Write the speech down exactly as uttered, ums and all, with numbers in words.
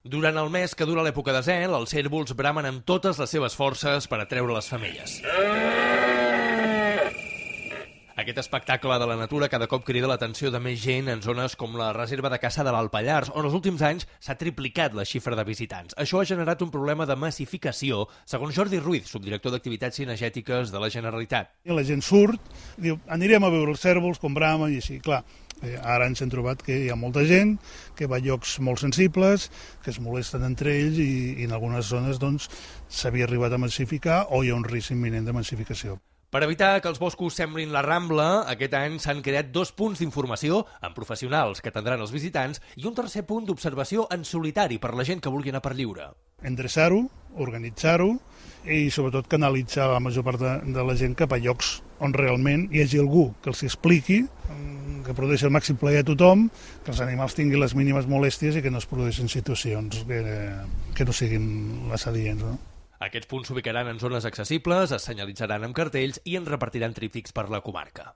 Durant el mes que dura l'època de zel, els cérvols bramen amb totes les seves forces per atreure les femelles. Aquest espectacle de la natura cada cop crida l'atenció de més gent en zones com la reserva de caça de l'Alt Pallars, on els últims anys s'ha triplicat la xifra de visitants. Això ha generat un problema de massificació, segons Jordi Ruiz, subdirector d'activitats cinegètiques de la Generalitat. I la gent surt, diu, anirem a veure els cérvols, com bramen i així, clar. Ara ens hem trobat que hi ha molta gent que va a llocs molt sensibles, que es molesten entre ells i, i en algunes zones doncs, s'havia arribat a massificar o hi ha un risc imminent de massificació. Per evitar que els boscos semblin la Rambla, aquest any s'han creat dos punts d'informació amb professionals que atendran els visitants i un tercer punt d'observació en solitari per la gent que vulgui anar per lliure. Endreçar-ho, organitzar-ho i sobretot canalitzar la major part de, de la gent cap a llocs on realment hi hagi algú que els expliqui, que produeixi el màxim plaer a tothom, que els animals tinguin les mínimes molèsties i que no es produeixin situacions que, que no siguin les adients, no? Aquests punts s'ubicaran en zones accessibles, es senyalitzaran amb cartells i en repartiran tríptics per la comarca.